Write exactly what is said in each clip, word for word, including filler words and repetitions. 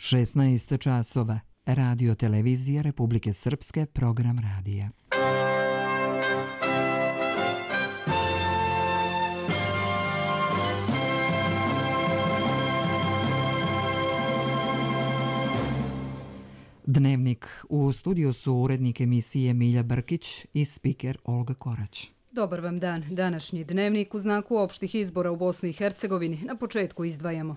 šesnaest časova. Radio Televizija Republike Srpske, program radija. Dnevnik. U studiju su urednik emisije Milja Brkić i spiker Olga Korać. Dobar vam dan. Današnji dnevnik u znaku opštih izbora u Bosni i Hercegovini. Na početku izdvajamo.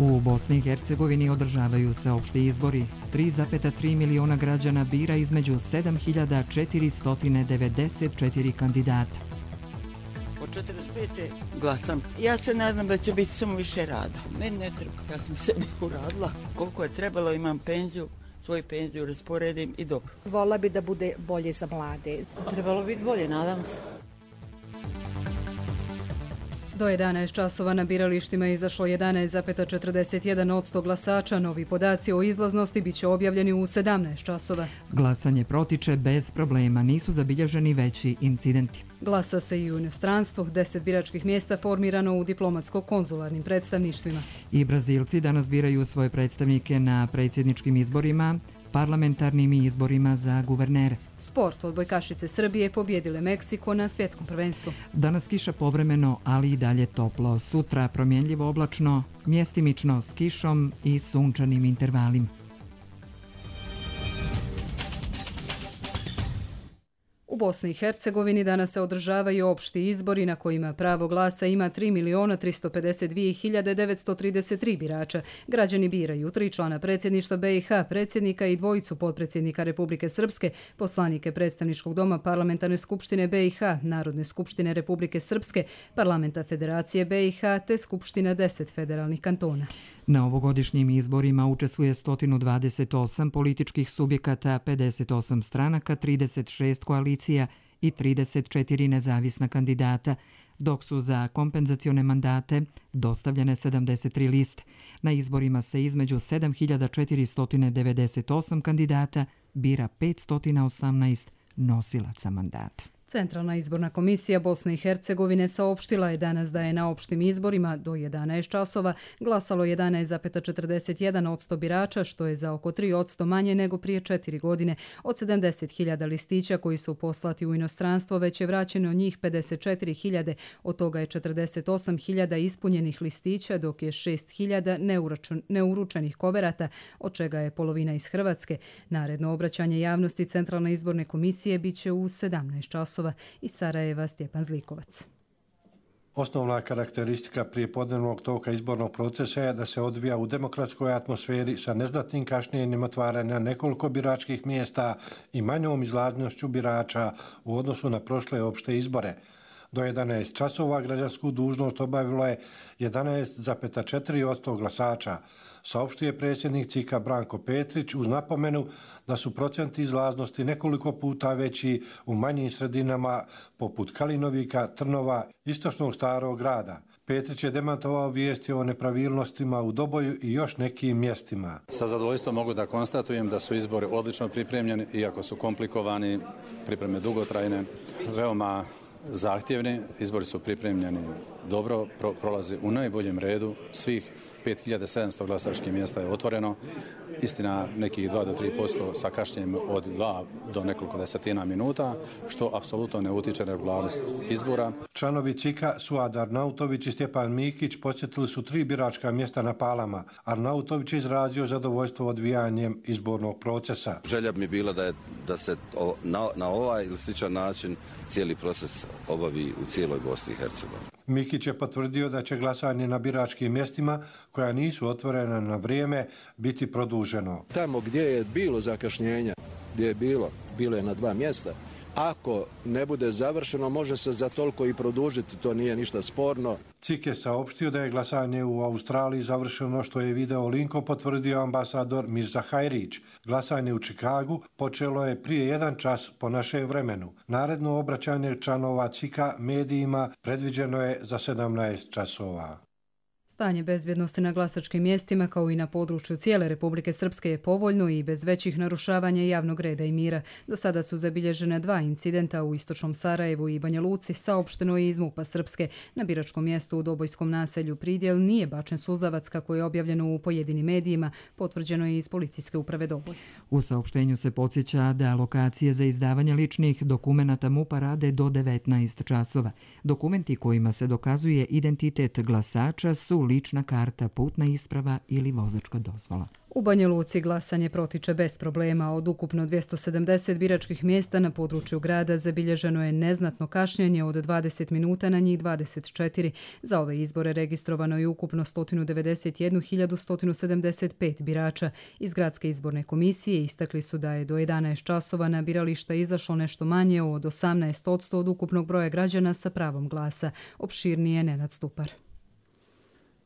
U Bosni i Hercegovini održavaju se opšti izbori. tri zarez tri miliona građana bira između sedam hiljada četiristo devedeset četiri kandidata. Od četrdeset pete glasam. Ja se nadam da će biti samo više rada. Meni ne treba. Ja sam sebi uradila. Koliko je trebalo, imam penziju, svoju penziju rasporedim i dobro. Volila bi da bude bolje za mlade. Trebalo biti bolje, nadam se. Do jedanaest časova na biralištima je izašlo jedanaest zarez četrdeset jedan posto glasača. Novi podaci o izlaznosti biće objavljeni u sedamnaest časova. Glasanje protiče bez problema, nisu zabilježeni veći incidenti. Glasa se i u inostranstvu, deset biračkih mjesta formirano u diplomatsko-konzularnim predstavništvima. I Brazilci danas biraju svoje predstavnike na predsjedničkim izborima, parlamentarnim izborima za guvernere. Sport. Odbojkašice Srbije pobjedile Meksiko na svjetskom prvenstvu. Danas kiša povremeno, ali i dalje toplo. Sutra promjenljivo oblačno, mjestimično s kišom i sunčanim intervalima. U Bosni i Hercegovini danas se održavaju opšti izbori na kojima pravo glasa ima tri miliona tristo pedeset dvije hiljade devetsto trideset tri birača. Građani biraju tri člana predsjedništva B i H, predsjednika i dvojicu potpredsjednika Republike Srpske, poslanike predstavničkog doma Parlamentarne skupštine B i H, Narodne skupštine Republike Srpske, Parlamenta Federacije B i H te Skupština deset federalnih kantona. Na ovogodišnjim izborima učestvuje sto dvadeset osam političkih subjekata, pedeset osam stranaka, trideset šest koalicija i trideset četiri nezavisna kandidata, dok su za kompenzacione mandate dostavljene sedamdeset tri liste. Na izborima se između sedam hiljada četiristo devedeset osam kandidata bira petsto osamnaest nosilaca mandata. Centralna izborna komisija Bosne i Hercegovine saopštila je danas da je na opštim izborima do jedanaest časova glasalo jedanaest zarez četrdeset jedan posto birača, što je za oko tri posto manje nego prije četiri godine. Od sedamdeset hiljada listića koji su poslati u inostranstvo već je vraćeno njih pedeset četiri hiljade, od toga je četrdeset osam hiljada ispunjenih listića, dok je šest hiljada neuručenih koverata, od čega je polovina iz Hrvatske. Naredno obraćanje javnosti Centralne izborne komisije biće u sedamnaest časova. Iz Sarajeva Stjepan Zlikovac. Osnovna karakteristika prijepodnevnog toka izbornog procesa je da se odvija u demokratskoj atmosferi sa neznatnim kašnjenjem otvaranja nekoliko biračkih mjesta i manjom izlaznošću birača u odnosu na prošle opšte izbore. Do jedanaest časova građansku dužnost obavilo je jedanaest zarez četiri posto glasača, saopštio predsjednik C I K-a Branko Petrić uz napomenu da su procenti izlaznosti nekoliko puta veći u manjim sredinama poput Kalinovika, Trnova, istočnog Starog grada. Petrić je demantovao vijesti o nepravilnostima u Doboju i još nekim mjestima. Sa zadovoljstvom mogu da konstatujem da su izbori odlično pripremljeni, iako su komplikovani, pripreme dugotrajne, veoma zahtjevni. Izbori su pripremljeni dobro, pro, prolazi u najboljem redu. Svih pet hiljada sedamsto glasačkih mjesta je otvoreno. Istina, nekih dva do tri posto sa kašnjenjem od dva do nekoliko desetina minuta, što apsolutno ne utiče na regularnost izbora. Članovi C I K-a Suad Arnautović i Stjepan Mikić posjetili su tri biračka mjesta na Palama. Arnautović je izrazio zadovoljstvo odvijanjem izbornog procesa. Želja mi bila da, je, da se na, na ovaj ili sličan način cijeli proces obavi u cijeloj Bosni i Hercegovini. Mikić je potvrdio da će glasanje na biračkim mjestima koja nisu otvorena na vrijeme biti produženo. Tamo gdje je bilo zakašnjenja, gdje je bilo, bilo je na dva mjesta. Ako ne bude završeno, može se za toliko i produžiti, to nije ništa sporno. C I K je saopštio da je glasanje u Australiji završeno, što je video linkom potvrdio ambasador Mirza Hajrić. Glasanje u Čikagu počelo je prije jedan čas po našem vremenu. Naredno obraćanje članova C I K-a medijima predviđeno je za sedamnaest časova. Stanje bezbjednosti na glasačkim mjestima kao i na području cijele Republike Srpske je povoljno i bez većih narušavanja javnog reda i mira. Do sada su zabilježene dva incidenta u istočnom Sarajevu i Banja Luci, saopšteno je iz MUP-a Srpske. Na biračkom mjestu u Dobojskom naselju Pridjel nije bačen suzavac kako je objavljeno u pojedinim medijima, potvrđeno je iz Policijske uprave Doboj. U saopštenju se podsjeća da lokacije za izdavanje ličnih dokumenata MUP-a rade do devetnaest časova. Dokumenti kojima se dokazuje identitet glasača su lična karta, putna isprava ili vozačka dozvola. U Banja Luci glasanje protiče bez problema. Od ukupno dvjesto sedamdeset biračkih mjesta na području grada zabilježeno je neznatno kašnjenje od dvadeset minuta na njih dvadeset četiri. Za ove izbore registrovano je ukupno sto devedeset jednu hiljadu sto sedamdeset pet birača. Iz gradske izborne komisije istakli su da je do jedanaest časova na birališta izašlo nešto manje od osamnaest posto od ukupnog broja građana sa pravom glasa. Opširnije Nenad Stupar.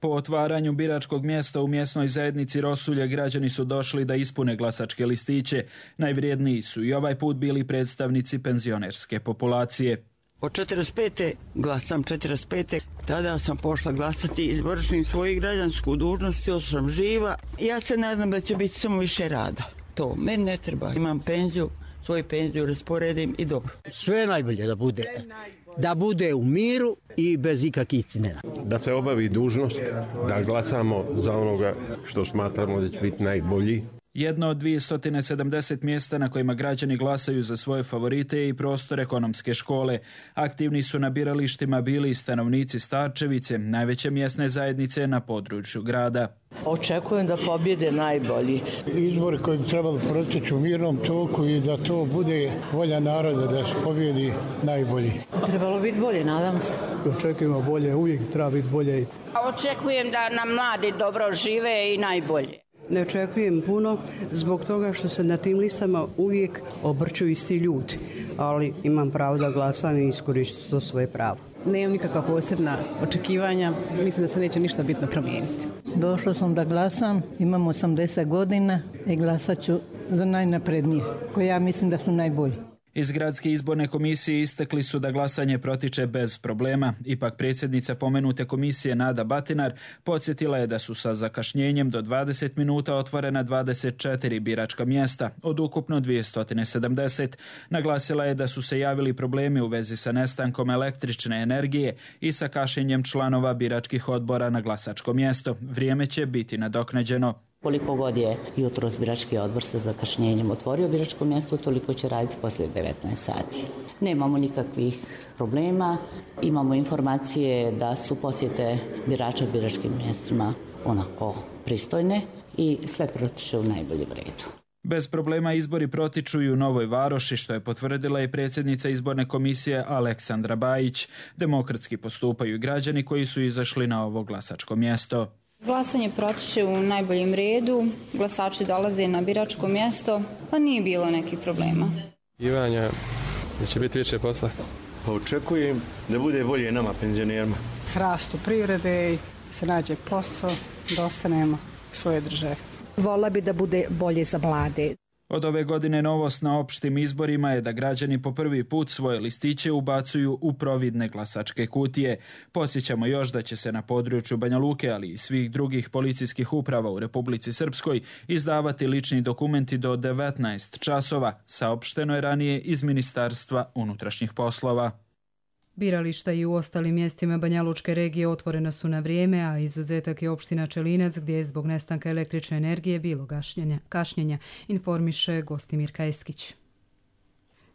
Po otvaranju biračkog mjesta u mjesnoj zajednici Rosulje građani su došli da ispune glasačke listiće. Najvrijedniji su i ovaj put bili predstavnici penzionerske populacije. Od četrdeset pete glasam, četrdeset pete tada sam pošla glasati, izvršim svoju građansku dužnost, još sam živa. Ja se nadam da će biti samo više rada. To meni ne treba. Imam penziju, svoju penziju rasporedim i dobro. Sve najbolje da bude. Da bude u miru i bez ikakvih cinena. Da se obavi dužnost, da glasamo za onoga što smatramo da će biti najbolji. Jedno od dvjesto sedamdeset mjesta na kojima građani glasaju za svoje favorite je i prostor ekonomske škole. Aktivni su na biralištima bili i stanovnici Starčevice, najveće mjesne zajednice na području grada. Očekujem da pobjede najbolji. Izbori koji bi trebali proteći u mirnom toku i da to bude volja naroda da se pobjedi najbolji. Trebalo biti bolje, nadam se. Očekujemo bolje, uvijek treba biti bolje. Očekujem da nam mladi dobro žive i najbolje. Ne očekujem puno zbog toga što se na tim listama uvijek obrću isti ljudi, ali imam pravo da glasam i iskoristim to svoje pravo. Nemam nikakva posebna očekivanja, mislim da se neće ništa bitno promijeniti. Došla sam da glasam, imam osamdeset godina i glasat ću za najnaprednije, koje ja mislim da su najbolji. Iz gradske izborne komisije istakli su da glasanje protiče bez problema. Ipak predsjednica pomenute komisije Nada Batinar podsjetila je da su sa zakašnjenjem do dvadeset minuta otvorena dvadeset četiri biračka mjesta, od ukupno dvjesto sedamdeset. Naglasila je da su se javili problemi u vezi sa nestankom električne energije i sa kašnjenjem članova biračkih odbora na glasačko mjesto. Vrijeme će biti nadoknađeno. Koliko god je jutros birački odbor sa zakašnjenjem otvorio biračko mjesto, toliko će raditi poslije devetnaest sati. Nemamo nikakvih problema, imamo informacije da su posjete birača biračkim mjestima onako pristojne i sve protiče u najboljem redu. Bez problema izbori protiču i u Novoj Varoši, što je potvrdila i predsjednica izborne komisije Aleksandra Bajić. Demokratski postupaju građani koji su izašli na ovo glasačko mjesto. Glasanje protiče u najboljem redu, glasači dolaze na biračko mjesto, pa nije bilo nekih problema. Ivanja, da će biti više posla? Pa očekujem da bude bolje nama, penzionerima. Rastu privrede i se nađe posao, da ostanemo svoje države. Vola bi da bude bolje za mlade. Od ove godine novost na opštim izborima je da građani po prvi put svoje listiće ubacuju u providne glasačke kutije. Podsjećamo još da će se na području Banja Luke, ali i svih drugih policijskih uprava u Republici Srpskoj izdavati lični dokumenti do devetnaest časova, saopšteno je ranije iz Ministarstva unutrašnjih poslova. Birališta i u ostalim mjestima Banja Lučke regije otvorena su na vrijeme, a izuzetak je opština Čelinac gdje je zbog nestanka električne energije bilo gašnjenja, kašnjenja, informiše Gostimirka Eskić.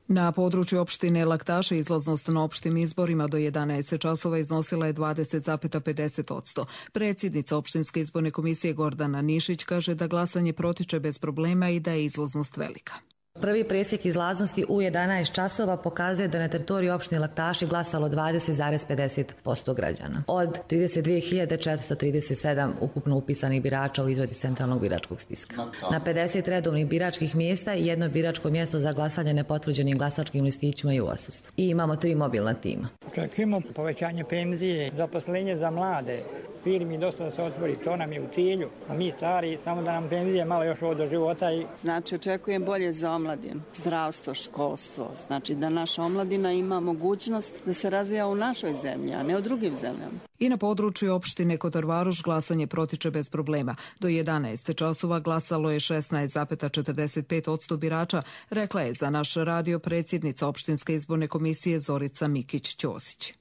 Na području opštine Laktaše izlaznost na opštim izborima do jedanaest časova iznosila je dvadeset zarez pedeset posto. Predsjednica opštinske izborne komisije Gordana Nišić kaže da glasanje protiče bez problema i da je izlaznost velika. Prvi presjek izlaznosti u jedanaest časova pokazuje da na teritoriji opštine Laktaši glasalo dvadeset zarez pedeset posto građana. Od trideset dvije hiljade četiristo trideset sedam ukupno upisanih birača u izvodi centralnog biračkog spiska. Na pedeset redovnih biračkih mjesta i jedno biračko mjesto za glasanje nepotvrđenim glasačkim listićima i u odsustvu. I imamo tri mobilna tima. Očekujemo povećanje penzije, zaposlenje za mlade, firmi dosta da se otvori, to nam je u cilju, a mi stari samo da nam penzije malo još ovo do života. I... Znači očekujem bolje za omladinu, zdravstvo, školstvo, znači da naša omladina ima mogućnost da se razvija u našoj zemlji, a ne u drugim zemljama. I na području opštine Kotor Varoš glasanje protiče bez problema. Do jedanaest časova glasalo je šesnaest zarez četrdeset pet posto birača, rekla je za naš radio predsjednica opštinske izborne komisije Zorica Mikić-Ćosić.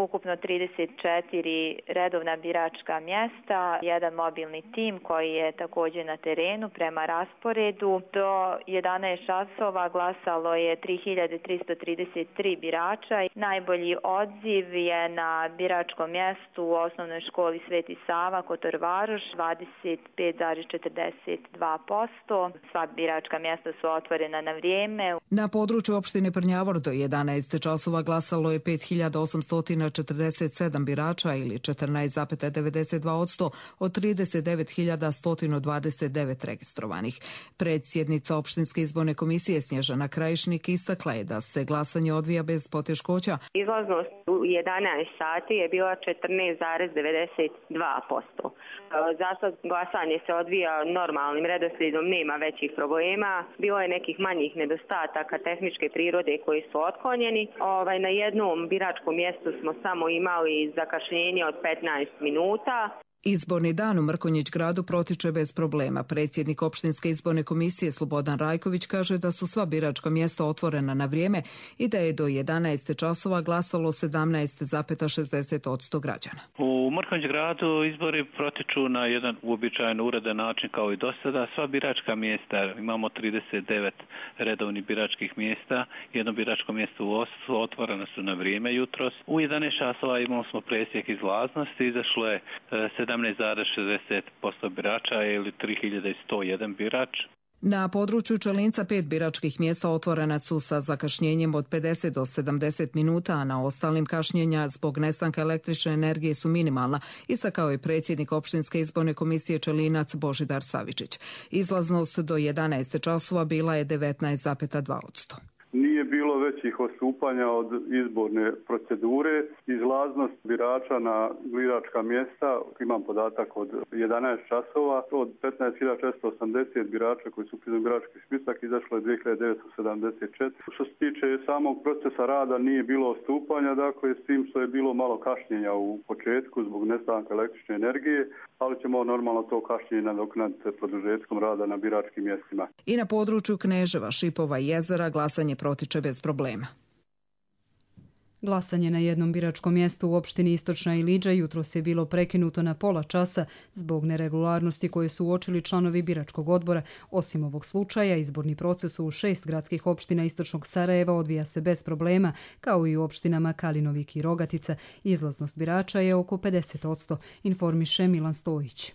Ukupno trideset četiri redovna biračka mjesta, jedan mobilni tim koji je također na terenu prema rasporedu. Do jedanaest časova glasalo je tri hiljade tristo trideset tri birača. Najbolji odziv je na biračkom mjestu u osnovnoj školi Sveti Sava, Kotor Varoš, dvadeset pet zarez četrdeset dva posto. Sva biračka mjesta su otvorena na vrijeme. Na području opštine Prnjavor do jedanaest časova glasalo je pet hiljada osamsto četrdeset sedam birača ili četrnaest zarez devedeset dva posto od trideset devet hiljada sto dvadeset devet registrovanih. Predsjednica opštinske izborne komisije Snježana Krajišnik istakla je da se glasanje odvija bez poteškoća. Izlaznost u jedanaest sati je bila četrnaest zarez devedeset dva posto. Za sad glasanje se odvija normalnim redoslijedom, nema većih problema. Bilo je nekih manjih nedostataka tehničke prirode koji su otklonjeni. Ovaj, na jednom biračkom mjestu smo samo imali zakašnjenje od petnaest minuta. Izborni dan u Mrkonjić gradu protiče bez problema. Predsjednik opštinske izborne komisije Slobodan Rajković kaže da su sva biračka mjesta otvorena na vrijeme i da je do jedanaest časova glasalo sedamnaest zarez šezdeset posto građana. U Mrkonjić gradu izbori protiču na jedan uobičajen uredan način kao i do sada. Sva biračka mjesta, imamo trideset devet redovnih biračkih mjesta, jedno biračko mjesto u Oslu, otvoreno su na vrijeme jutros. U jedanaest časova imali smo presjek izlaznosti, izašlo je sedamnaest zarez šezdeset posto birača ili tri hiljade sto jedan birač. Na području Čelinca pet biračkih mjesta otvorena su sa zakašnjenjem od pedeset do sedamdeset minuta, a na ostalim kašnjenja zbog nestanka električne energije su minimalna, istakao je predsjednik opštinske izborne komisije Čelinac Božidar Savičić. Izlaznost do jedanaest časova bila je devetnaest zarez dva posto. Nije bilo većih odstupanja od izborne procedure. Izlaznost birača na biračka mjesta, imam podatak od jedanaest časova, od petnaest hiljada četiristo osamdeset birača koji su upisani u birački spisak izašlo je dvije hiljade devetsto sedamdeset četiri. Što se tiče samog procesa rada nije bilo odstupanja, dakle s tim što je bilo malo kašnjenja u početku zbog nestanka električne energije, ali ćemo normalno to kašnjenje nadoknaditi produžetkom rada na biračkim mjestima. I na području Kneževa, Šipova i Jezera glasanje protiče bez problema. Glasanje na jednom biračkom mjestu u opštini Istočna Iliđa jutros je bilo prekinuto na pola časa zbog neregularnosti koje su uočili članovi biračkog odbora. Osim ovog slučaja, izborni proces u šest gradskih opština Istočnog Sarajeva odvija se bez problema, kao i u opštinama Kalinovik i Rogatica. Izlaznost birača je oko pedeset posto, informiše Milan Stojić.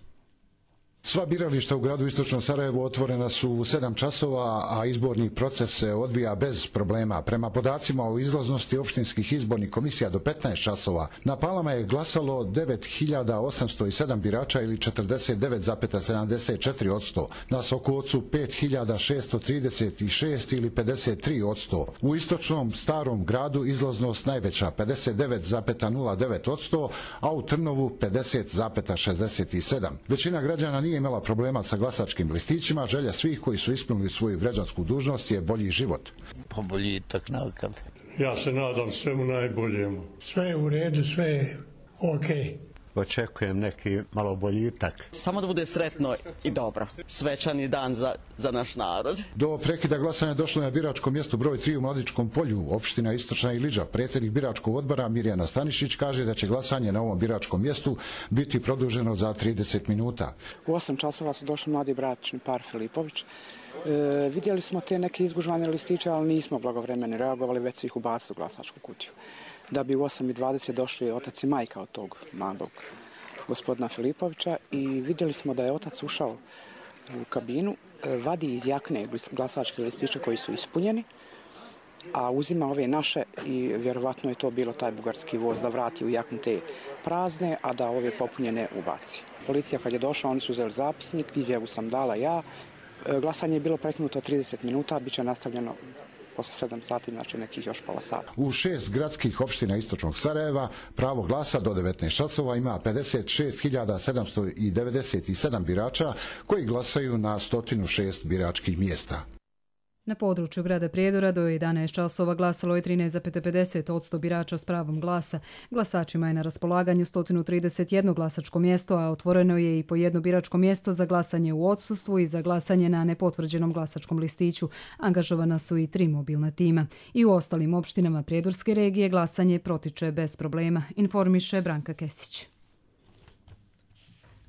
Sva birališta u gradu Istočnom Sarajevu otvorena su u sedam časova, a izborni proces se odvija bez problema. Prema podacima o izlaznosti opštinskih izbornih komisija do petnaest časova, na Palama je glasalo devet hiljada osamsto sedam birača ili četrdeset devet zarez sedamdeset četiri posto. Na Sokocu pet hiljada šesto trideset šest ili pedeset tri posto. U Istočnom Starom gradu izlaznost najveća pedeset devet zarez nula devet posto, a u Trnovu pedeset zarez šezdeset sedam. Većina građana nije imala problema sa glasačkim listićima. Želja svih koji su ispunili svoju građansku dužnost je bolji život. Boljitak nakad. Ja se nadam svemu najboljemu. Sve je u redu, sve je okej. Očekujem neki malo boljitak. Samo da bude sretno i dobro. Svečani dan za, za naš narod. Do prekida glasanja došlo je na biračkom mjestu broj tri u Mladičkom polju, opština Istočna Iliđa. Predsjednik biračkog odbora Mirjana Stanišić kaže da će glasanje na ovom biračkom mjestu biti produženo za trideset minuta. U osam časova su došli mladi bračni par Filipović. E, vidjeli smo te neke izgužvane listiće, ali nismo blagovremeno reagovali, već su ih ubacili u glasačku kutiju. Da bi u osam i dvadeset došli otac i majka od tog mladog gospodina Filipovića i vidjeli smo da je otac ušao u kabinu, vadi iz jakne glasačke listiće koji su ispunjeni, a uzima ove naše i vjerovatno je to bilo taj bugarski voz da vrati u jaknu te prazne, a da ove popunjene ubaci. Policija kad je došla, oni su uzeli zapisnik, izjavu sam dala ja. Glasanje je bilo prekinuto trideset minuta, bit će nastavljeno posle sedam sati, znači nekih još pola sata. U šest gradskih opština istočnog Sarajeva pravo glasa do devetnaest časova ima pedeset šest hiljada sedamsto devedeset sedam birača koji glasaju na sto šest biračkih mjesta. Na području grada Prijedora do jedanaest časova glasalo je trinaest zarez pedeset posto birača s pravom glasa. Glasačima je na raspolaganju sto trideset jedno glasačko mjesto, a otvoreno je i po jedno biračko mjesto za glasanje u odsustvu i za glasanje na nepotvrđenom glasačkom listiću. Angažovana su i tri mobilna tima. I u ostalim opštinama Prijedorske regije glasanje protiče bez problema, informiše Branka Kesić.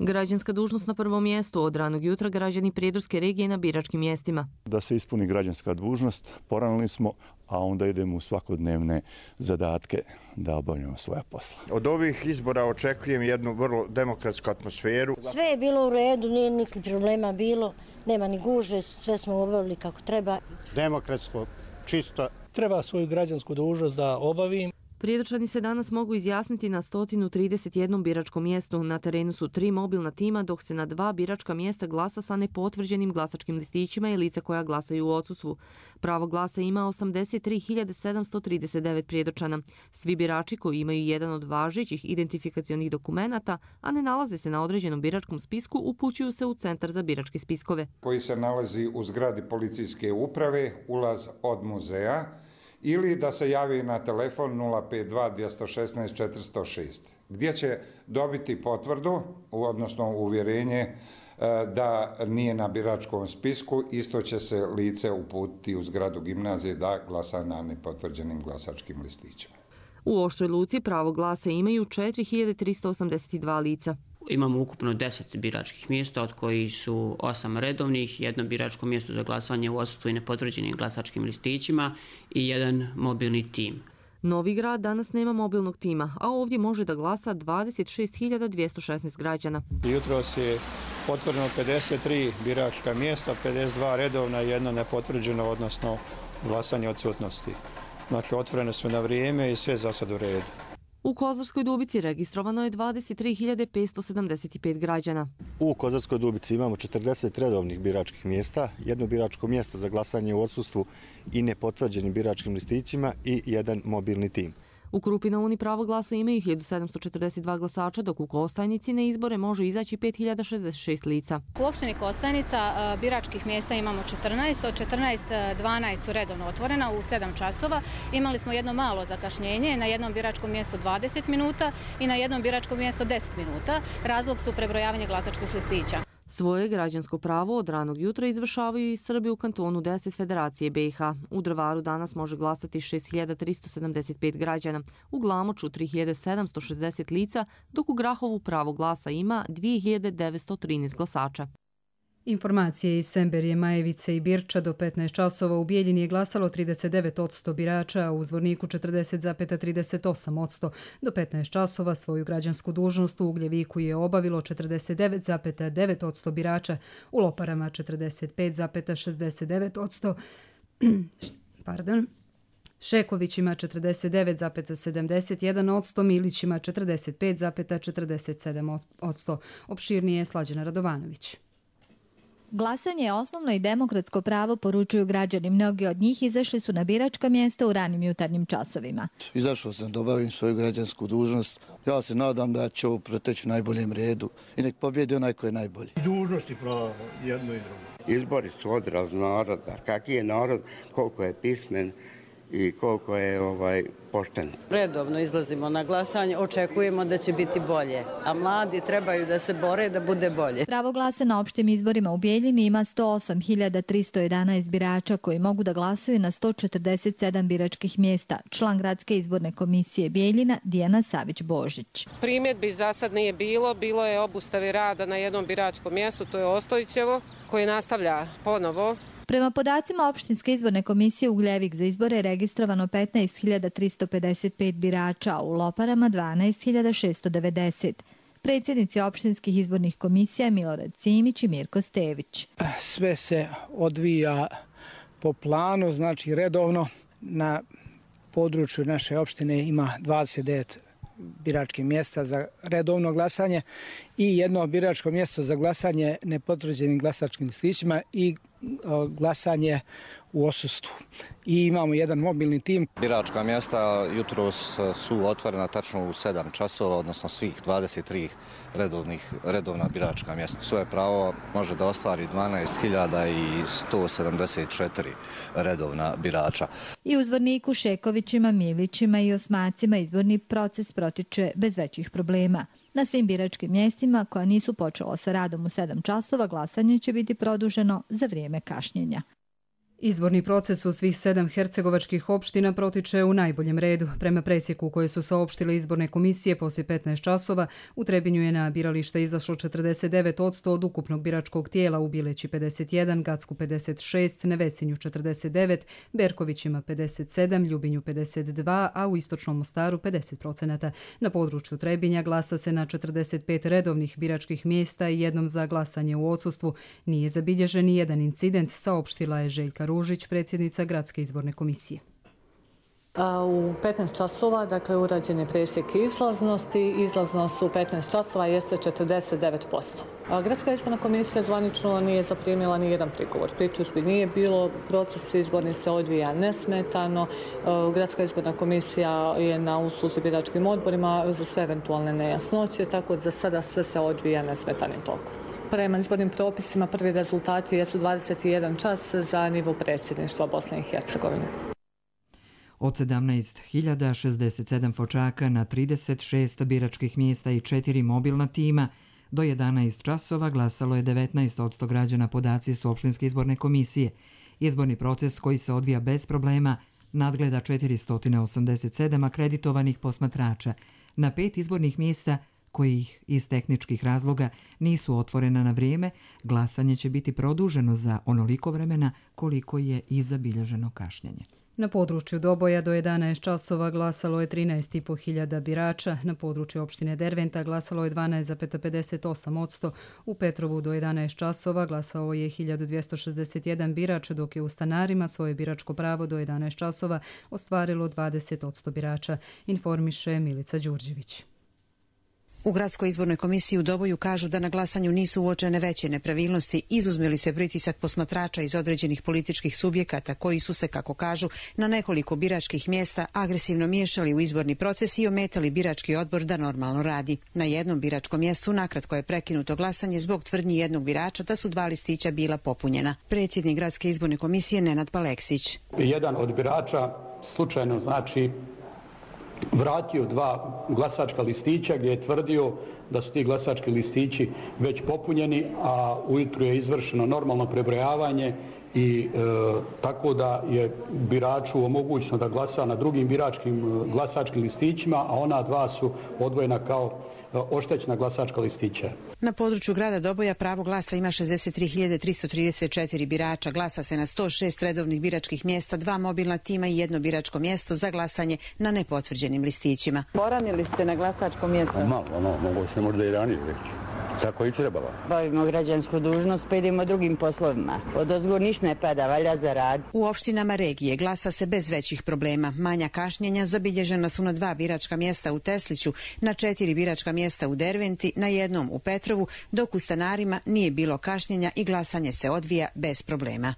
Građanska dužnost na prvom mjestu. Od ranog jutra građani Prijedorske regije na biračkim mjestima. Da se ispuni građanska dužnost, poranili smo, a onda idemo u svakodnevne zadatke da obavljamo svoja posla. Od ovih izbora očekujem jednu vrlo demokratsku atmosferu. Sve je bilo u redu, nije nikakvih problema bilo, nema ni gužve, sve smo obavili kako treba. Demokratsko, čisto. Treba svoju građansku dužnost da obavim. Prijedorčani se danas mogu izjasniti na sto trideset jednom biračkom mjestu. Na terenu su tri mobilna tima, dok se na dva biračka mjesta glasa sa nepotvrđenim glasačkim listićima i lica koja glasaju u odsustvu. Pravo glasa ima osamdeset tri hiljade sedamsto trideset devet Prijedorčana. Svi birači koji imaju jedan od važećih identifikacionih dokumenata, a ne nalaze se na određenom biračkom spisku, upućuju se u Centar za biračke spiskove. Koji se nalazi u zgradi policijske uprave, ulaz od muzeja, ili da se javi na telefon nula pet dva dvjesto šesnaest četiristo šest, gdje će dobiti potvrdu, odnosno uvjerenje da nije na biračkom spisku. Isto će se lice uputiti u zgradu gimnazije da glasa na nepotvrđenim glasačkim listićima. U Oštroj Luci pravo glasa imaju četiri hiljade tristo osamdeset dva lica. Imamo ukupno deset biračkih mjesta, od kojih su osam redovnih, jedno biračko mjesto za glasanje u odsustvu i nepotvrđenim glasačkim listićima i jedan mobilni tim. Novi Grad danas nema mobilnog tima, a ovdje može da glasa dvadeset šest hiljada dvjesto šesnaest građana. Jutros je potvrđeno pedeset tri biračka mjesta, pedeset dva redovna i jedno nepotvrđeno, odnosno glasanje odsutnosti. Znači, otvorene su na vrijeme i sve za sad u redu. U Kozarskoj Dubici registrovano je dvadeset tri hiljade petsto sedamdeset pet građana. U Kozarskoj Dubici imamo četrdeset redovnih biračkih mjesta, jedno biračko mjesto za glasanje u odsustvu i nepotvrđenim biračkim listićima i jedan mobilni tim. U Krupi na Uni pravo glasa imaju hiljadu sedamsto četrdeset dva glasača, dok u Kostajnici na izbore može izaći pet hiljada šezdeset šest lica. U opštini Kostajnica biračkih mjesta imamo četrnaest, od četrnaest dvanaest su redovno otvorena u sedam časova. Imali smo jedno malo zakašnjenje, na jednom biračkom mjestu dvadeset minuta i na jednom biračkom mjestu deset minuta. Razlog su prebrojavanje glasačkih listića. Svoje građansko pravo od ranog jutra izvršavaju i Srbi u kantonu deset Federacije B i H. U Drvaru danas može glasati šest hiljada tristo sedamdeset pet građana, u Glamoču tri hiljade sedamsto šezdeset lica, dok u Grahovu pravo glasa ima dvije hiljade devetsto trinaest glasača. Informacije iz Semberije, Majevice i Birča do petnaest časova u Bijeljini je glasalo trideset devet posto birača, a u Zvorniku četrdeset zarez trideset osam posto. Do petnaest časova svoju građansku dužnost u Ugljeviku je obavilo četrdeset devet zarez devet posto birača, u Loparama četrdeset pet zarez šezdeset devet posto. Pardon. Šekovićima četrdeset devet zarez sedamdeset jedan posto, Milićima četrdeset pet zarez četrdeset sedam posto. Opširnije Slađana Radovanović. Glasanje je osnovno i demokratsko pravo, poručuju građani. Mnogi od njih izašli su na biračka mjesta u ranim jutarnjim časovima. Izašao sam da obavim svoju građansku dužnost. Ja se nadam da će ovo proteći u najboljem redu i nek pobjedi onaj ko je najbolji. Dužnosti pravo jedno i drugo. Izbori su odraz naroda. Kaki je narod, koliko je pismen i koliko je ovaj pošten. Redovno izlazimo na glasanje, očekujemo da će biti bolje, a mladi trebaju da se bore da bude bolje. Pravo glasa na opštim izborima u Bijeljini ima sto osam hiljada tristo jedanaest birača koji mogu da glasaju na sto četrdeset sedam biračkih mjesta. Član Gradske izborne komisije Bijeljina Dijana Savić-Božić. Primjedbi za sad nije bilo, bilo je obustavi rada na jednom biračkom mjestu, to je Ostojićevo, koji nastavlja ponovo. Prema podacima opštinske izborne komisije Ugljevik za izbore je registrovano petnaest hiljada tristo pedeset pet birača, a u Loparama dvanaest hiljada šesto devedeset. Predsjednici opštinskih izbornih komisija Milorad Cimić i Mirko Stević. Sve se odvija po planu, znači redovno. Na području naše opštine ima dvadeset devet biračkih mjesta za redovno glasanje i jedno biračko mjesto za glasanje nepotvrđenim glasačkim listićima i glasanje u odsustvu. I imamo jedan mobilni tim. Biračka mjesta jutros su otvorena tačno u sedam časova, odnosno svih dvadeset tri redovnih, redovna biračka mjesta. Svoje pravo može da ostvari dvanaest hiljada sto sedamdeset četiri redovna birača. I u Zvorniku, Šekovićima, Milićima i Osmacima izborni proces protiče bez većih problema. Na svim biračkim mjestima koja nisu počela sa radom u sedam časova, glasanje će biti produženo za vrijeme kašnjenja. Izborni proces u svih sedam hercegovačkih opština protiče u najboljem redu. Prema presjeku koje su saopštile izborne komisije poslije petnaest časova, u Trebinju je na biralište izašlo četrdeset devet posto od ukupnog biračkog tijela, u Bileći pedeset jedan, Gacku pedeset šest, Nevesinju četrdeset devet, Berkovićima pedeset sedam, Ljubinju pedeset dva, a u Istočnom Mostaru pedeset posto. Na području Trebinja glasa se na četrdeset pet redovnih biračkih mjesta i jednom za glasanje u odsustvu. Nije zabilježen ni jedan incident, saopštila je Željka Ružić, predsjednica Gradske izborne komisije. U petnaest časova, dakle, urađen je presjek izlaznosti. Izlaznost u petnaest časova jeste četrdeset devet posto. Gradska izborna komisija zvanično nije zaprimila ni jedan prigovor. Pritužbi nije bilo, proces izborni se odvija nesmetano. Gradska izborna komisija je na usluzi biračkim odborima za sve eventualne nejasnoće, tako da za sada sve se odvija nesmetanim tokom. Prema izbornim propisima prvi rezultati jesu dvadeset jedan čas za nivo predsjedništva Bosne i Hercegovine. Od sedamnaest hiljada šezdeset sedam fočaka na trideset šest biračkih mjesta i četiri mobilna tima do jedanaest časova glasalo je devetnaest posto građana, podaci su opštinske izborne komisije. Izborni proces koji se odvija bez problema nadgleda četiristo osamdeset sedam akreditovanih posmatrača. Na pet izbornih mjesta kojih iz tehničkih razloga nisu otvorena na vrijeme, glasanje će biti produženo za onoliko vremena koliko je i zabilježeno kašnjenje. Na području Doboja do jedanaest časova glasalo je trinaest i po hiljada birača, na području opštine Derventa glasalo je dvanaest zarez pedeset osam posto, u Petrovu do jedanaest časova glasao je hiljadu dvjesto šezdeset jedan birač, dok je u Stanarima svoje biračko pravo do jedanaest časova ostvarilo dvadeset posto birača, informiše Milica Đurđević. U Gradskoj izbornoj komisiji u Doboju kažu da na glasanju nisu uočene veće nepravilnosti, izuzme li se pritisak posmatrača iz određenih političkih subjekata koji su se, kako kažu, na nekoliko biračkih mjesta agresivno miješali u izborni proces i ometali birački odbor da normalno radi. Na jednom biračkom mjestu nakratko je prekinuto glasanje zbog tvrdnji jednog birača da su dva listića bila popunjena. Predsjednik Gradske izborne komisije Nenad Paleksić. Jedan od birača slučajno znači vratio dva glasačka listića gdje je tvrdio da su ti glasački listići već popunjeni, a ujutru je izvršeno normalno prebrojavanje i e, tako da je biraču omogućeno da glasa na drugim biračkim glasačkim listićima, a ona dva su odvojena kao oštećena glasačka listića. Na području grada Doboja pravo glasa ima šezdeset tri hiljade tristo trideset četiri birača. Glasa se na sto šest redovnih biračkih mjesta, dva mobilna tima i jedno biračko mjesto za glasanje na nepotvrđenim listićima. Poranili ste na glasačko mjesto? Malo, ono, mogu se možda i ranije reći. Tako i trebalo. Bavimo građansku dužnost, pa idemo drugim poslovima. Od ozgo ništa ne pada, valja za rad. U opštinama regije glasa se bez većih problema. Manja kašnjenja zabilježena su na dva biračka mjesta u Tesliću, na četiri biračka mjesta u Derventi, na jednom u Petrovu, dok u Stanarima nije bilo kašnjenja i glasanje se odvija bez problema.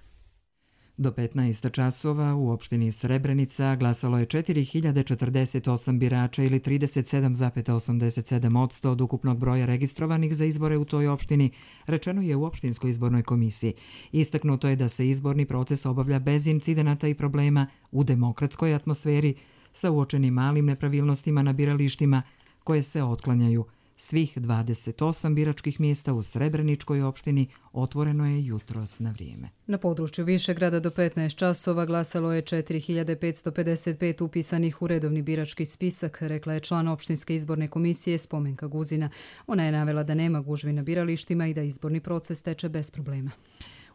Do petnaest časova u opštini Srebrenica glasalo je četiri hiljade četrdeset osam birača ili trideset sedam zarez osamdeset sedam posto od ukupnog broja registrovanih za izbore u toj opštini, rečeno je u opštinskoj izbornoj komisiji. Istaknuto je da se izborni proces obavlja bez incidenata i problema u demokratskoj atmosferi sa uočenim malim nepravilnostima na biralištima koje se otklanjaju. Svih dvadeset osam biračkih mjesta u Srebreničkoj opštini otvoreno je jutros na vrijeme. Na području Višegrada do petnaest časova glasalo je četiri hiljade petsto pedeset pet upisanih u redovni birački spisak, rekla je član opštinske izborne komisije Spomenka Guzina. Ona je navela da nema gužvi na biralištima i da izborni proces teče bez problema.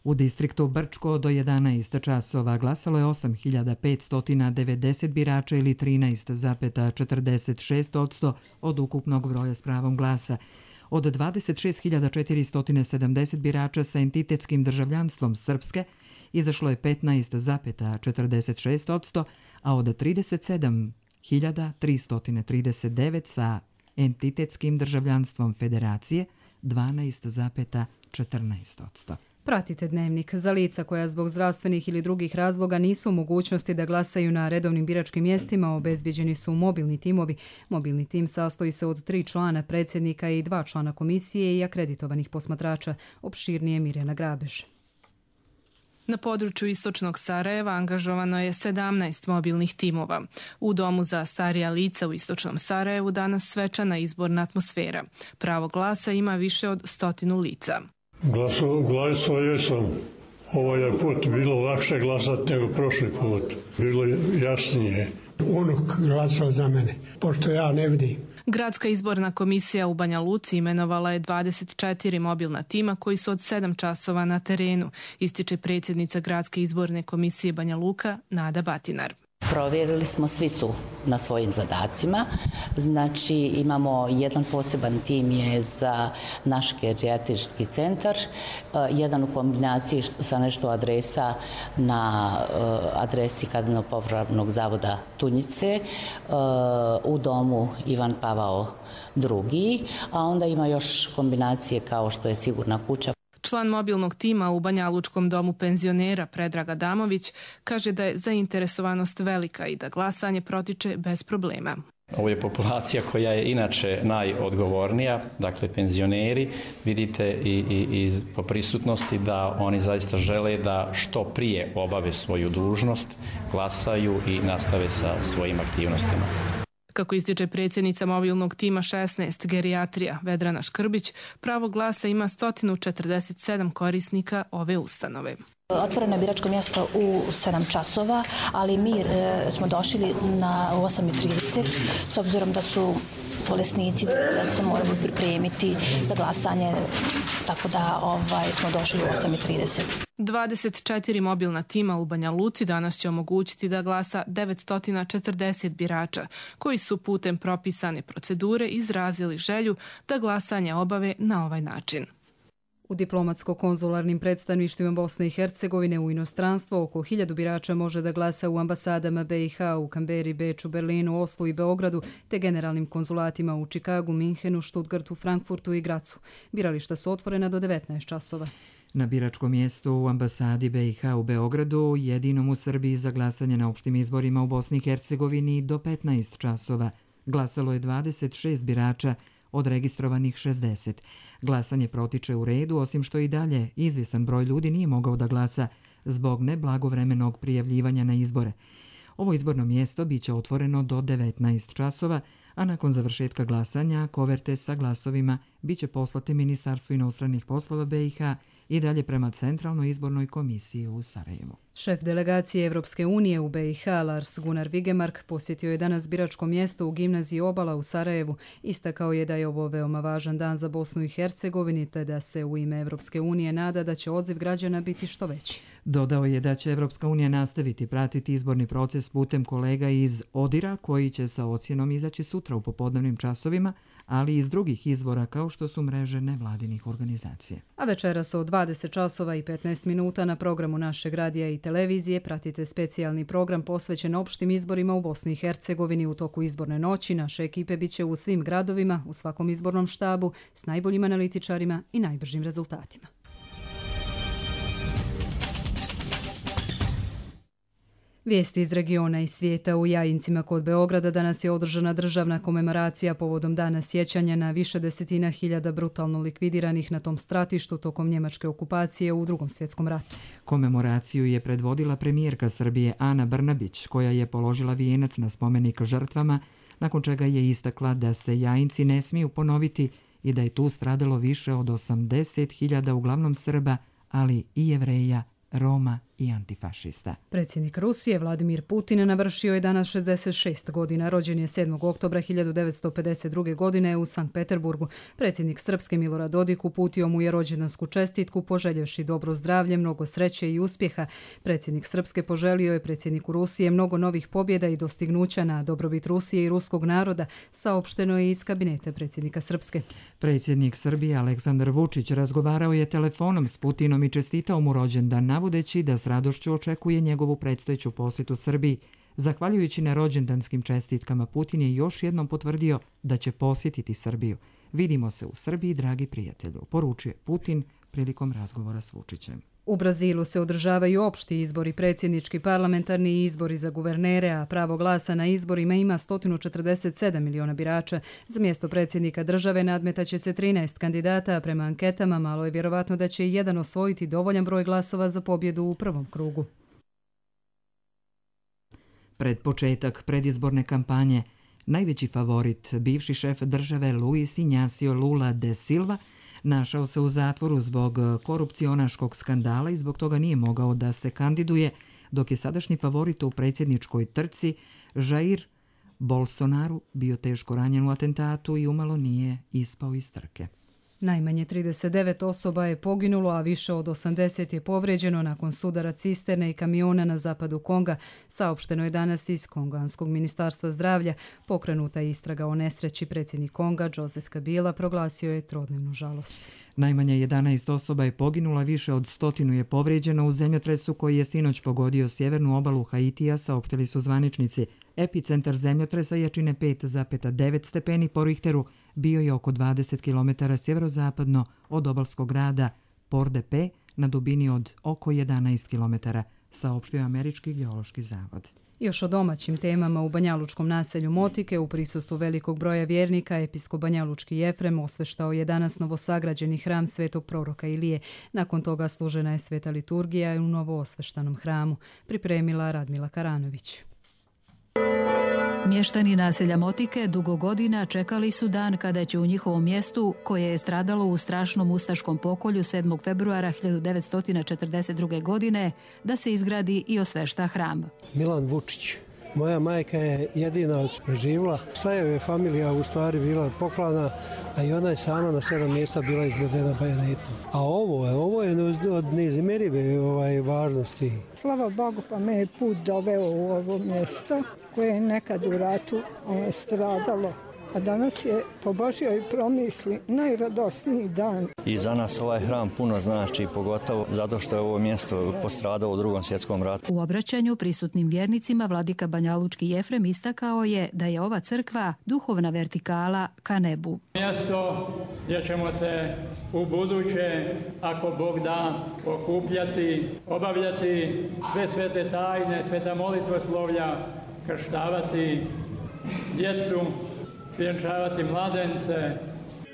U distriktu Brčko do jedanaest časova glasalo je osam hiljada petsto devedeset birača ili trinaest zarez četrdeset šest posto od ukupnog broja s pravom glasa. Od dvadeset šest hiljada četiristo sedamdeset birača sa entitetskim državljanstvom Srpske izašlo je petnaest zarez četrdeset šest posto, a od trideset sedam hiljada tristo trideset devet sa entitetskim državljanstvom Federacije dvanaest zarez četrnaest posto. Pratite Dnevnik. Za lica koja zbog zdravstvenih ili drugih razloga nisu u mogućnosti da glasaju na redovnim biračkim mjestima, obezbijeđeni su mobilni timovi. Mobilni tim sastoji se od tri člana, predsjednika i dva člana komisije i akreditovanih posmatrača. Opširnije Mirjana Grabež. Na području istočnog Sarajeva angažovano je sedamnaest mobilnih timova. U domu za starija lica u istočnom Sarajevu danas svečana izborna atmosfera. Pravo glasa ima više od stotinu lica. Glasao jesam. Ovaj je put bilo lakše glasati nego prošli put. Bilo je jasnije. Unuk glasao za mene, pošto ja ne vidim. Gradska izborna komisija u Banja Luci imenovala je dvadeset četiri mobilna tima koji su od sedam časova na terenu, ističe predsjednica Gradske izborne komisije Banja Luka Nada Batinar. Provjerili smo, svi su na svojim zadacima. Znači imamo jedan poseban tim je za naš gerijatrijski centar, jedan u kombinaciji sa nešto adresa na adresi Kazneno-popravnog zavoda Tunjice, u domu Ivan Pavao drugi, a onda ima još kombinacije kao što je Sigurna kuća. Član mobilnog tima u Banjalučkom domu penzionera Predrag Adamović kaže da je zainteresovanost velika i da glasanje protiče bez problema. Ovo je populacija koja je inače najodgovornija, dakle penzioneri. Vidite i, i, i po prisutnosti da oni zaista žele da što prije obave svoju dužnost, glasaju i nastave sa svojim aktivnostima. Kako ističe predsjednica mobilnog tima šesnaest gerijatrija Vedrana Škrbić, pravo glasa ima sto četrdeset sedam korisnika ove ustanove. Otvoreno je biračko mjesto u sedam časova, ali mi e, smo došli na osam i trideset s obzirom da su bolesnici, da se moraju pripremiti za glasanje, tako da ovaj, smo došli u osam i trideset. dvadeset četiri mobilna tima u Banja Luci danas će omogućiti da glasa devetsto četrdeset birača, koji su putem propisane procedure izrazili želju da glasanje obave na ovaj način. U diplomatsko-konzularnim predstavništvima Bosne i Hercegovine u inostranstvo oko hiljadu birača može da glasa u ambasadama B i H u Kamberi, Beču, Berlinu, Oslu i Beogradu, te generalnim konzulatima u Čikagu, Minhenu, Štutgartu, Frankfurtu i Gracu. Birališta su otvorena do devetnaest časova. Na biračkom mjestu u ambasadi B i H u Beogradu, jedinom u Srbiji za glasanje na opštim izborima u Bosni i Hercegovini, do petnaest časova glasalo je dvadeset šest birača od registrovanih šezdeset. Glasanje protiče u redu, osim što i dalje izvjestan broj ljudi nije mogao da glasa zbog neblagovremenog prijavljivanja na izbore. Ovo izborno mjesto biće otvoreno do devetnaest časova, a nakon završetka glasanja koverte sa glasovima biće poslate Ministarstvu inostranih poslova B i H i dalje prema Centralnoj izbornoj komisiji u Sarajevu. Šef delegacije Evropske unije u B i H Lars Gunnar Vigemark posjetio je danas biračko mjesto u gimnaziji Obala u Sarajevu. Istakao je da je ovo veoma važan dan za Bosnu i Hercegovini, te da se u ime Evropske unije nada da će odziv građana biti što veći. Dodao je da će Evropska unija nastaviti pratiti izborni proces putem kolega iz Odira, koji će sa ocjenom izaći sutra u popodnevnim časovima, ali i iz drugih izvora kao što su mreže nevladinih organizacija. A večeras od dvadeset časova i petnaest minuta na programu našeg radija i televizije pratite specijalni program posvećen opštim izborima u Bosni i Hercegovini. U toku izborne noći naše ekipe biće u svim gradovima, u svakom izbornom štabu, s najboljim analitičarima i najbržim rezultatima. Vijesti iz regiona i svijeta. U Jajincima kod Beograda danas je održana državna komemoracija povodom dana sjećanja na više desetina hiljada brutalno likvidiranih na tom stratištu tokom njemačke okupacije u Drugom svjetskom ratu. Komemoraciju je predvodila premijerka Srbije Ana Brnabić, koja je položila vijenac na spomenik žrtvama, nakon čega je istakla da se Jajinci ne smiju ponoviti i da je tu stradalo više od osamdeset hiljada uglavnom Srba, ali i Jevreja, Roma i antifašista. Predsjednik Rusije Vladimir Putin navršio je danas šezdeset šest godina. Rođen je sedmog oktobra hiljadu devetsto pedeset druge. godine u Sankt Peterburgu. Predsjednik Srpske Milorad Dodik uputio mu je rođendansku čestitku, poželjevši dobro zdravlje, mnogo sreće i uspjeha. Predsjednik Srpske poželio je predsjedniku Rusije mnogo novih pobjeda i dostignuća na dobrobit Rusije i ruskog naroda, saopšteno je iz kabineta predsjednika Srpske. Predsjednik Srbije Aleksandar Vučić razgovarao je telefonom s Putinom i čestitao mu rođendan, navodeći da s radošću očekuje njegovu predstojeću posjetu Srbiji. Zahvaljujući na rođendanskim čestitkama, Putin je još jednom potvrdio da će posjetiti Srbiju. Vidimo se u Srbiji, dragi prijatelju, poručuje Putin prilikom razgovora s Vučićem. U Brazilu se održavaju opšti izbori, predsjednički, parlamentarni izbori za guvernere, a pravo glasa na izborima ima sto četrdeset sedam miliona birača. Za mjesto predsjednika države nadmetaće se trinaest kandidata, a prema anketama malo je vjerovatno da će jedan osvojiti dovoljan broj glasova za pobjedu u prvom krugu. Pred početak predizborne kampanje, najveći favorit, bivši šef države Luis Inácio Lula de Silva, našao se u zatvoru zbog korupcionaškog skandala i zbog toga nije mogao da se kandiduje, dok je sadašnji favorit u predsjedničkoj trci Jair Bolsonaro bio teško ranjen u atentatu i umalo nije ispao iz trke. Najmanje trideset devet osoba je poginulo, a više od osamdeset je povrijeđeno nakon sudara cisterne i kamiona na zapadu Konga. Saopšteno je danas iz Konganskog ministarstva zdravlja. Pokrenuta je istraga o nesreći. Predsjednik Konga, Joseph Kabila, proglasio je trodnevnu žalost. Najmanje jedanaest osoba je poginula, više od stotinu je povrijeđeno u zemljotresu koji je sinoć pogodio sjevernu obalu Haitija, saopštili su zvaničnici. Epicentar zemljotresa jačine pet zarez devet stepeni po Richteru bio je oko dvadeset kilometara sjeverozapadno od obalskog grada Port-de-Paix na dubini od oko jedanaest kilometara, saopštio Američki geološki zavod. Još o domaćim temama u banjalučkom naselju Motike u prisustvu velikog broja vjernika episkop banjalučki Jefrem osveštao je danas novosagrađeni hram svetog proroka Ilije. Nakon toga služena je sveta liturgija u novo osveštanom hramu, pripremila Radmila Karanović. Mještani naselja Motike dugo godina čekali su dan kada će u njihovom mjestu, koje je stradalo u strašnom ustaškom pokolju sedmog februara hiljadu devetsto četrdeset druge. godine, da se izgradi i osvešta hram. Milan Vučić. Moja majka je jedina preživjela. Sva je familija u stvari bila poklana, a i ona je sama na sedam mjesta bila izgledena bajonetom. A ovo je, ovo je od neizmjerive ovaj, važnosti. Slava Bogu, pa me je put doveo u ovo mjesto koje je nekad u ratu ono, stradalo. A danas je po Božjoj promisli najradosniji dan. I za nas ovaj hram puno znači, pogotovo zato što je ovo mjesto postradalo u drugom svjetskom ratu. U obraćanju prisutnim vjernicima vladika banjalučki Jefrem istakao je da je ova crkva duhovna vertikala ka nebu. Mjesto gdje ćemo se u buduće, ako Bog da, okupljati, obavljati sve svete tajne, sveta molitvoslovlja, krštavati djecu, vjenčavati mladence.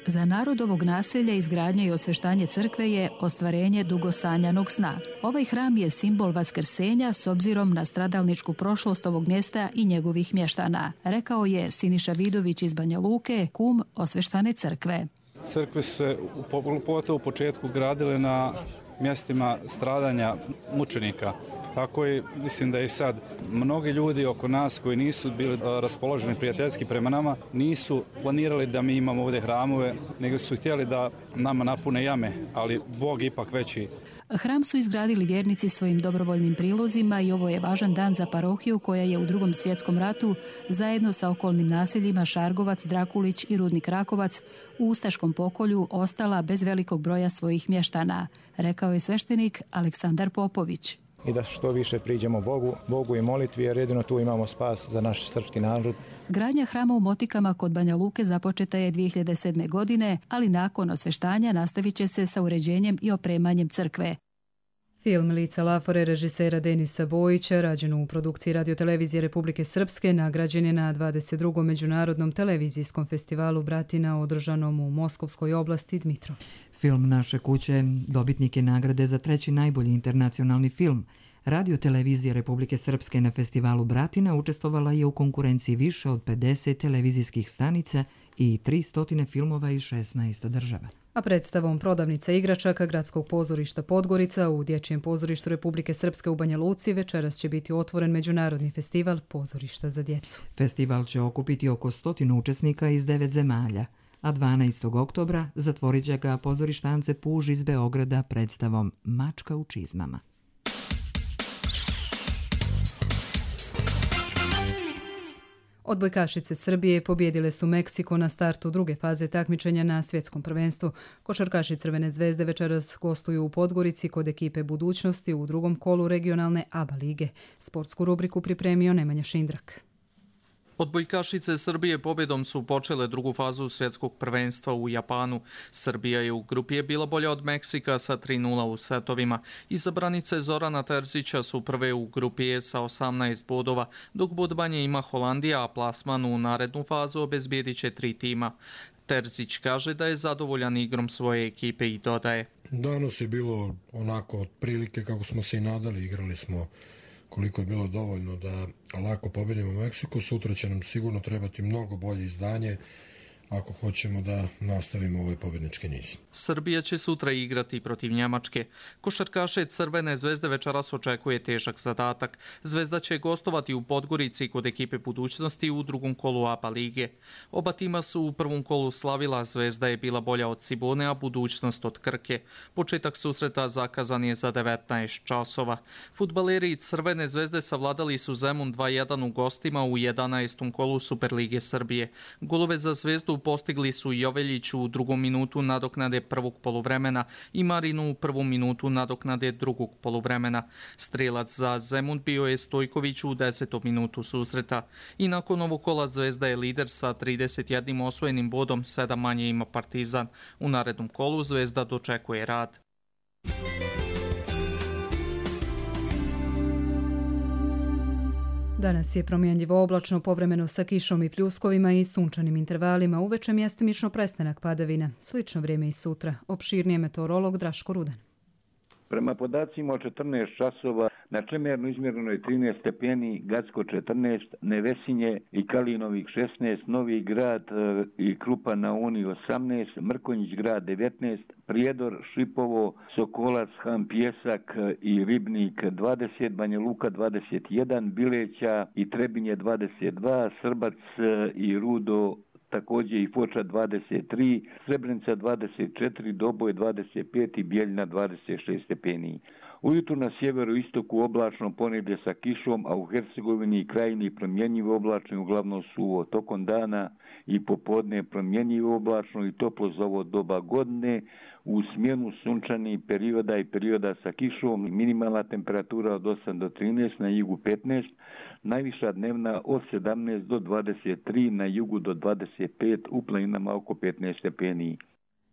Za narod ovog naselja izgradnja i osveštanje crkve je ostvarenje dugosanjanog sna. Ovaj hram je simbol vaskrsenja s obzirom na stradalničku prošlost ovog mjesta i njegovih mještana, rekao je Siniša Vidović iz Banja Luke, kum osveštane crkve. Crkve su se pogotovo u početku gradile na mjestima stradanja mučenika. Tako i mislim da i sad mnogi ljudi oko nas koji nisu bili raspoloženi prijateljski prema nama nisu planirali da mi imamo ovdje hramove, nego su htjeli da nama napune jame, ali Bog ipak veći. Hram su izgradili vjernici svojim dobrovoljnim prilozima i ovo je važan dan za parohiju koja je u drugom svjetskom ratu zajedno sa okolnim naseljima Šargovac, Drakulić i Rudnik Rakovac u ustaškom pokolju ostala bez velikog broja svojih mještana, rekao je sveštenik Aleksandar Popović. I da što više priđemo Bogu, Bogu i molitvi, jer jedino tu imamo spas za naš srpski narod. Gradnja hrama u Motikama kod Banja Luke započeta je dvije hiljade sedme. godine, ali nakon osveštanja nastavit će se sa uređenjem i opremanjem crkve. Film Lica Lafore režisera Denisa Bojića, rađen u produkciji Radiotelevizije Republike Srpske, nagrađen je na dvadeset drugom međunarodnom televizijskom festivalu Bratina održanom u Moskovskoj oblasti Dmitrov. Film Naše kuće dobitnik je nagrade za treći najbolji internacionalni film. Radiotelevizija Republike Srpske na festivalu Bratina učestvovala je u konkurenciji više od pedeset televizijskih stanica i tristo filmova iz šesnaest država. A predstavom Prodavnica igračaka Gradskog pozorišta Podgorica u Dječjem pozorištu Republike Srpske u Banja Luci večeras će biti otvoren međunarodni festival pozorišta za djecu. Festival će okupiti oko stotinu učesnika iz devet zemalja, a dvanaestog oktobra zatvorit će ga pozorištance Puž iz Beograda predstavom Mačka u čizmama. Odbojkašice Srbije pobjedile su Meksiko na startu druge faze takmičenja na svjetskom prvenstvu. Košarkaši Crvene zvezde večeras gostuju u Podgorici kod ekipe Budućnosti u drugom kolu regionalne A B A lige. Sportsku rubriku pripremio Nemanja Šindrak. Odbojkašice Srbije pobjedom su počele drugu fazu svjetskog prvenstva u Japanu. Srbija je u grupi je bila bolja od Meksika sa tri nula u setovima. Izabranice Zorana Terzića su prve u grupi E sa osamnaest bodova, dok bod manje ima Holandija, a plasman u narednu fazu obezbijedit će tri tima. Terzić kaže da je zadovoljan igrom svoje ekipe i dodaje: Danas je bilo onako otprilike kako smo se i nadali, igrali smo koliko je bilo dovoljno da lako pobedimo Meksiku. Sutra će nam sigurno trebati mnogo bolje izdanje ako hoćemo da nastavimo ovaj pobednički niz. Srbija će sutra igrati protiv Njemačke. Košarkaše Crvene zvezde večeras očekuje težak zadatak. Zvezda će gostovati u Podgorici kod ekipe Budućnosti u drugom kolu A B A lige. Oba tima su u prvom kolu slavila, Zvezda je bila bolja od Cibone, a Budućnost od Krke. Početak susreta zakazan je za devetnaest časova. Fudbaleri Crvene zvezde savladali su Zemun dva jedan u gostima u jedanaestom kolu Superlige Srbije. Golove za Zvezdu postigli su Joveljić u drugom minutu nadoknade prvog poluvremena i Marinu u prvom minutu nadoknade drugog poluvremena. Strelac za Zemun bio je Stojković u desetom minutu susreta. I nakon ovog kola Zvezda je lider sa trideset jednim osvojenim bodom, sedam manje ima Partizan. U narednom kolu Zvezda dočekuje Rad. Danas je promjenljivo oblačno, povremeno sa kišom i pljuskovima i sunčanim intervalima, uveče mjestimično prestanak padavina. Slično vrijeme i sutra. Opširnije meteorolog Draško Rudan. Prema podacima od četrnaest časova na Čemernu izmjereno je trinaest stepeni, Gacko četrnaest, Nevesinje i Kalinovih šesnaest, Novi Grad i Krupa na Uni osamnaest, Mrkonjić grad devetnaest, Prijedor, Šipovo, Sokolac, Han Pjesak i Ribnik dvadeset, Banja Luka dvadeset jedan, Bileća i Trebinje dvadeset dva, Srbac i Rudo također i Foča dvadeset tri, Srebrenica dvadeset četiri, Doboj dvadeset pet i Bijeljina dvadeset šest stepeni. Ujutru na sjeveru istoku oblačno, ponedjelje sa kišom, a u Hercegovini i Krajini promjenjivo oblačno, uglavnom suvo. Tokom dana i popodne promjenjivo oblačno i toplo za ovo doba godine. U smjenu sunčanih perioda i perioda sa kišom, minimalna temperatura od osam do trinaest, na jugu petnaest, najviša dnevna od sedamnaest do dvadeset tri, na jugu do dvadeset pet, u planinama oko petnaest stepeni.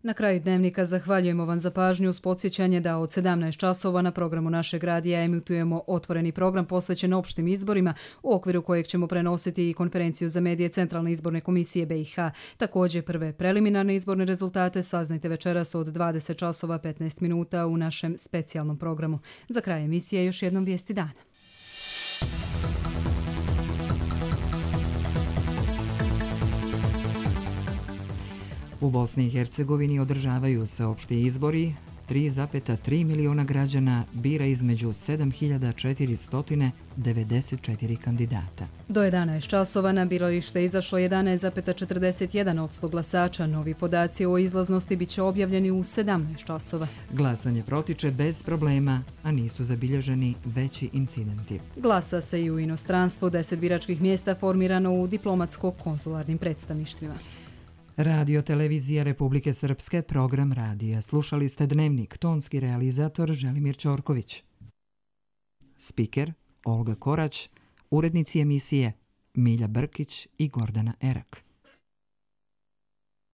Na kraju dnevnika zahvaljujemo vam za pažnju uz podsjećanje da od sedamnaest časova na programu našeg radija emitujemo otvoreni program posvećen opštim izborima, u okviru kojeg ćemo prenositi i konferenciju za medije Centralne izborne komisije B i H. Također prve preliminarne izborne rezultate saznajte večeras od dvadeset časova petnaest minuta u našem specijalnom programu. Za kraj emisije još jednom vijesti dana. U Bosni i Hercegovini održavaju se opšti izbori. tri zarez tri miliona građana bira između sedam hiljada četiristo devedeset četiri kandidata. Do jedanaest časova na biralište izašlo jedanaest zarez četrdeset jedan posto glasača. Novi podaci o izlaznosti bit će objavljeni u sedamnaest časova. Glasanje protiče bez problema, a nisu zabilježeni veći incidenti. Glasa se i u inostranstvu, deset biračkih mjesta formirano u diplomatsko-konzularnim predstavništvima. Radio Televizija Republike Srpske, program radija. Slušali ste Dnevnik, tonski realizator Želimir Ćorković. Spiker Olga Korać, urednici emisije Milja Brkić i Gordana Erak.